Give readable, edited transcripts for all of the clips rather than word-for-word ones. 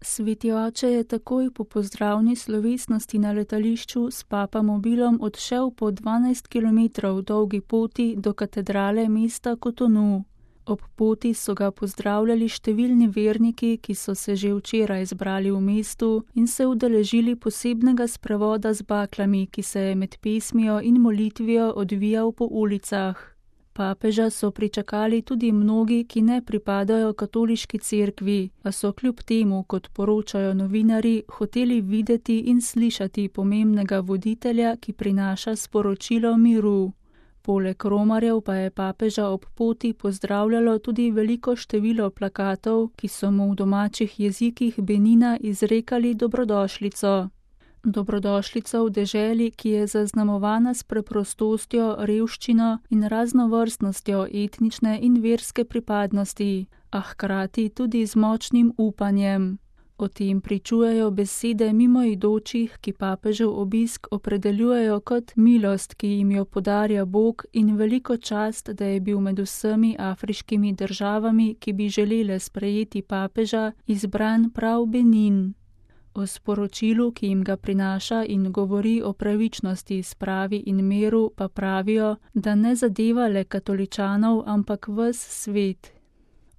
Sveti oče je takoj po pozdravni slovesnosti na letališču s papamobilom odšel po 12 kilometrov dolgi poti do katedrale mesta Kotonu. Ob poti so ga pozdravljali številni verniki, ki so se že včeraj zbrali v mestu in se udeležili posebnega sprevoda z baklami, ki se je med pesmijo in molitvijo odvijal po ulicah. Papeža so pričakali tudi mnogi, ki ne pripadajo katoliški cerkvi, a so kljub temu, kot poročajo novinarji, hoteli videti in slišati pomembnega voditelja, ki prinaša sporočilo miru. Poleg romarjev pa je papeža ob poti pozdravljalo tudi veliko število plakatov, ki so mu v domačih jezikih Benina izrekali dobrodošlico. Dobrodošlico v deželi, ki je zaznamovana s preprostostjo, revščino in raznovrstnostjo etnične in verske pripadnosti, a hkrati tudi z močnim upanjem. O tem pričujejo besede mimoidočih, ki papežev obisk opredeljujejo kot milost, ki jim jo podarja Bog, in veliko čast, da je bil med vsemi afriškimi državami, ki bi želele sprejeti papeža, izbran prav Benin. O sporočilu, ki jim ga prinaša in govori o pravičnosti, spravi in miru, pa pravijo, da ne zadeva le katoličanov, ampak ves svet.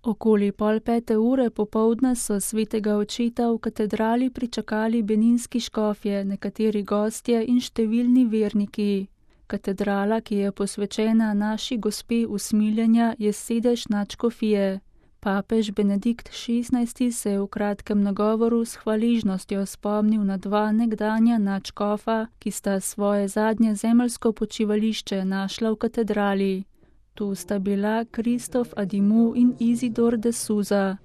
Okoli 4:30 popoldne so svetega očeta v katedrali pričakali beninski škofje, nekateri gostje in številni verniki. Katedrala, ki je posvečena naši gospe usmiljenja, je sedež nadškofije. Papež Benedikt XVI se je v kratkem nagovoru s hvaležnostjo spomnil na dva nekdanja nadškofa, ki sta svoje zadnje zemeljsko počivališče našla v katedrali. Tu sta bila Kristof Adimu in Izidor de Souza.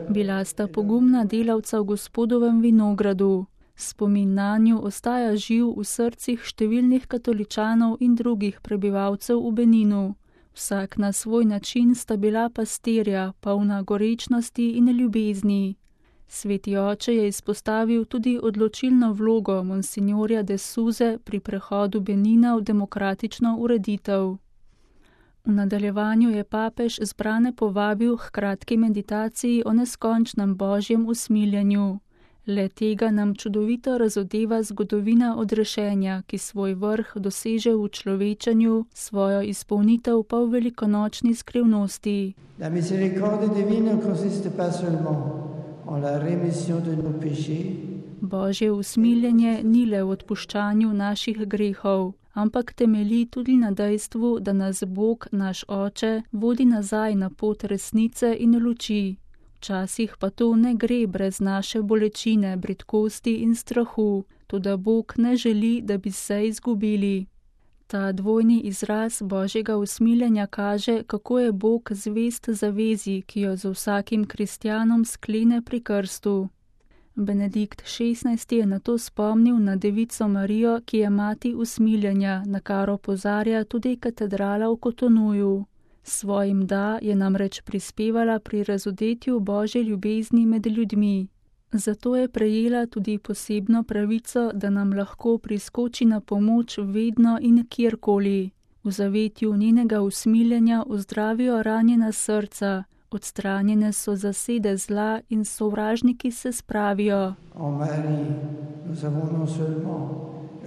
Bila sta pogumna delavca v Gospodovem vinogradu. Spomin nanju ostaja živ v srcih številnih katoličanov in drugih prebivalcev v Beninu. Vsak na svoj način sta bila pastirja, polna gorečnosti in ljubezni. Sveti oče je izpostavil tudi odločilno vlogo monsinjorja de Souze pri prehodu Benina v demokratično ureditev. V nadaljevanju je papež zbrane povabil h kratki meditaciji o neskončnem božjem usmiljenju. Le tega nam čudovito razodeva zgodovina odrešenja, ki svoj vrh doseže v človečanju, svojo izpolnitev pa v velikonočni skrivnosti. La miséricorde divine consiste pas seulement Božje usmiljenje ni le v odpuščanju naših grehov, ampak temelji tudi na dejstvu, da nas Bog, naš Oče, vodi nazaj na pot resnice in luči. Včasih pa to ne gre brez naše bolečine, bridkosti in strahu, toda Bog ne želi, da bi se izgubili. Ta dvojni izraz Božjega usmiljenja kaže, kako je Bog zvest zavezi, ki jo z vsakim kristjanom sklene pri krstu. Benedikt XVI je nato spomnil na Devico Marijo, ki je mati usmiljenja, na kar opozarja tudi katedrala v Kotonuju. Svojim da je namreč prispevala pri razodetju Božje ljubezni med ljudmi. Zato je prejela tudi posebno pravico, da nam lahko priskoči na pomoč vedno in kjerkoli. V zavetju njenega usmiljenja ozdravijo ranjena srca, odstranjene so zasede zla in sovražniki se spravijo. En Marie, nous avons non seulement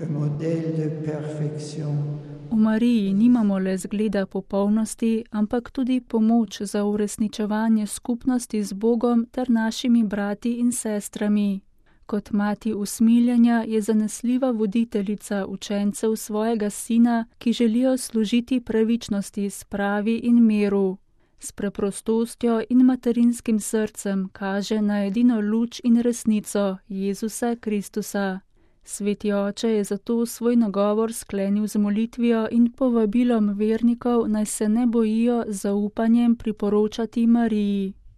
un modèle de perfection. V Mariji nimamo le zgleda popolnosti, ampak tudi pomoč za uresničevanje skupnosti z Bogom ter našimi brati in sestrami. Kot mati usmiljenja je zanesljiva voditeljica učencev svojega sina, ki želijo služiti pravičnosti, spravi in miru. S preprostostjo in materinskim srcem kaže na edino luč in resnico, Jezusa Kristusa. Sveti oče je zato svoj nagovor sklenil z molitvijo in povabilom vernikov, naj se ne bojijo z zaupanjem priporočati Mariji.